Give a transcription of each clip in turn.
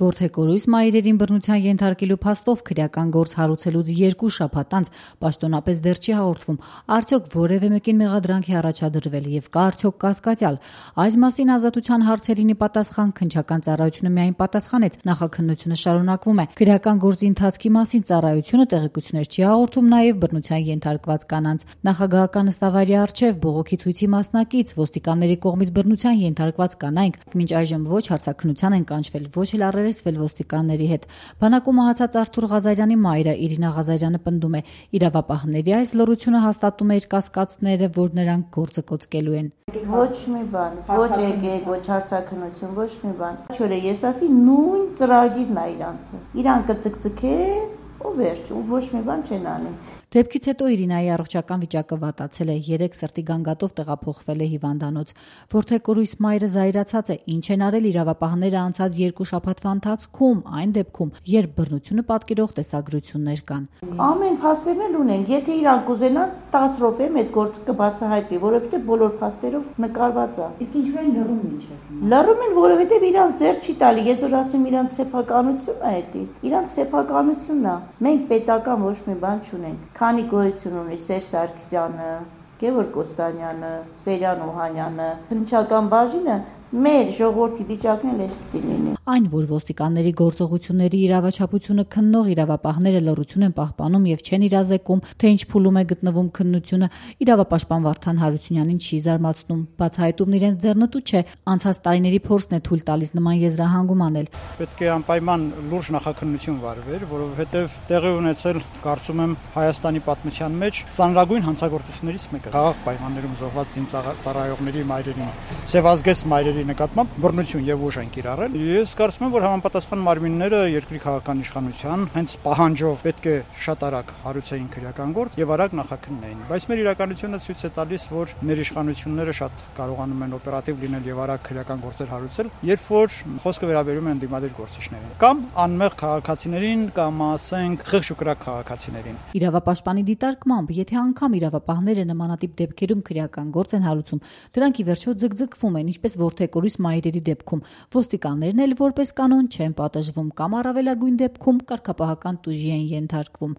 Որդեկորույս մայրերին բռնության ենթարկելու փաստով քրեական գործ հարուցելուց 2 շաբաթ անց պաշտոնապես դեռ չի հաղորդվում, արդյոք որևէ մեկին մեղադրանք է առաջադրվել եւ կա արդյոք կասկածյալ։ Այս մասին Ազատության հարցերին պատասխան քննչական ծառայությունը միայն պատասխանեց, նախաքննությունը շարունակվում է։ Քրեական գործի ընթացքի մասին ծառայությունը տեղեկություններ չի հաղորդում նաեւ բռնության ենթարկված կանանց։ Նախագահական նստավայրի առջեւ բողոքի ցույցի մասնակից ոստիկանների կողմից բռնության ենթարկված կանայք մինչ այժմ ոչ հարցաքննության են կանչվել, ոչ էլ առերեսվել ոստիկանների հետ։ Բանակում մահացած Արթուր Ղազարյանի մայրը Իրինա Ղազարյանը պնդում է, իրավապահների այս լռությունը հաստատում է իր կասկածները, որ նրանք գործը կոծկելու են։ Ոչ մի բան, ոչ եկեք, ոչ հարցաքննություն, ոչ մի բան։ Չորե ես ասի նույն ծրագիրն է իրանցը։ Իրան կծկծկեն ու վերջ, ու ոչ մի բան չեն անի։ Դեպքից հետո Իրինայի առողջական վիճակը վատացել է, 3 սրտի գանգատով տեղափոխվել է հիվանդանոց։ Որդեկորույս մայրը զայրացած է, ինչ են արել իրավապահները անցած 2 շաբաթվա ընթացքում, այն դեպքում, երբ բռնությունը պատկերող տեսագրություններ կան։ Ամեն փաստերն էլ ունենք, եթե իրանք կուզենան 10 րոպեում այդ գործը կբացահայտվի, որովհետև բոլոր փաստերով նկարված է։ Իսկ ինչու են լռում մինչև։ Լռում են, որովհետև իրանք զեր չի տալի, ես որ ասեմ իրանք սեփականությունն է դա։ Իրանք սեփականությունն է։ Մենք պետական ոչ մի բան չունենք։ Քանի գոյություն ունի Սերժ Սարգսյանը, Գևորգ Կոստանյանը, Սերյան Օհանյանը, քննչական բաժինը մեր ժողովրդի վիճակն էլ էս պիտի լինի։ Այն, որ ոստիկանների գործողությունների իրավաչափությունը քննող իրավապահները լռություն են պահպանում եւ չեն իրազեկում, թե ինչ փուլում է գտնվում քննությունը, իրավապաշտպան Վարդան Հարությունյանին չի զարմացնում։ Բացահայտումն իրենց ձեռնտու չէ, անցած տարիների փորձն է թույլ տալիս նման եզրահանգում անել։ Պետք է անպայման լուրջ նախաքննություն վարվեր, որովհետեւ տեղի ունեցել, կարծում եմ, Հայաստանի պատմության մեջ ծանրագույն հանցագործություններից մեկը։ Խաղաղ պայմաններում զոհված զինծառայողների մայրերին, սևազգեստ մայրերի նկատմամբ բռնություն եւ ուժ են կիրառել։ Ես կարծում եմ, որ համապատասխան մարմինները երկրի քաղաքական իշխանության հենց պահանջով պետք է շատ արագ հարուցեին քրեական գործ եւ արագ նախաքննեին։ Բայց մեր իրականությունը ցույց է տալիս, որ մեր իշխանությունները շատ կարողանում են օպերատիվ լինել եւ արագ քրեական գործեր հարուցել, երբ որ խոսքը վերաբերում է ընդդիմադիր գործիչներին կամ անմեղ քաղաքացիներին կամ ասենք խղճ ու կրակ քաղաքացիներին։ Իրավապաշտպանի դիտարկմամբ, եթե անգամ իրավապահները նմանատիպ դեպքերում քրեական գործ են հարուցում, դրանք ի վերջո ձգձգվում են, ինչպես որդեկորույս մայրերի դեպքում, ոստիկաններն էլ որպես կանոն չեն պատժվում կամ առավելագույն դեպքում կարգապահական տուժի են ենթարկվում։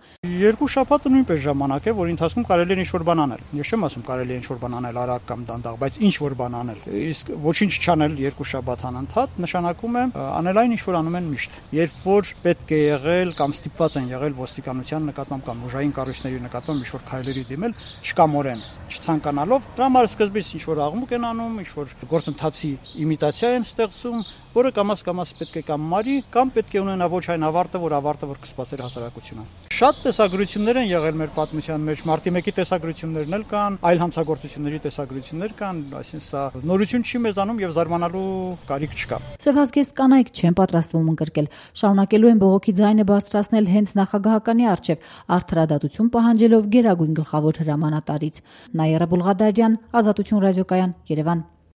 2 շաբաթը նույնպես ժամանակ է, որի ընթացքում կարելի է ինչ-որ բան անել։ Ես չեմ ասում կարելի է ինչ-որ բան անել արագ կամ դանդաղ, բայց ինչ-որ բան անել։ Իսկ ոչինչ չանել 2 շաբաթ անընդհատ նշանակում է անել այն, ինչ որ անում են միշտ։ Երբ որ պետք է եղել կամ ստիպված են եղել ոստիկանության նկատմամբ կամ ուժային կառույցների նկատմամբ ինչ-որ քայլերի դիմել, չկամորեն, չցանկանալով, դրա համար սկզբից ինչ-որ աղմուկ են անում, ինչ-որ գործընթացի իմիտացիա են ստեղծում, որը կամաց պետք է կամ մարի, կամ պետք է ունենա ոչ այն ավարտը, որ կսպասեր հասարակությունը։ Շատ տեսագրություններ են եղել մեր պատմության մեջ, մարտի 1-ի տեսագրություններն էլ կան, այլ հանցագործությունների տեսագրություններ կան, այսինքն սա նորություն չի մեզանում եւ զարմանալու կարիք չկա։ Սևազգեստ կանայք չեն պատրաստվում ընկրկել, շարունակելու են բողոքի ձայնը բարձրացնել հենց նախագահականի առջև, արդարադատություն պահանջելով գերագույն գլխավոր հրամանատարից։ Նաիրա Բուլղադարյան, Ազատություն ռադիոկայան, Երևան։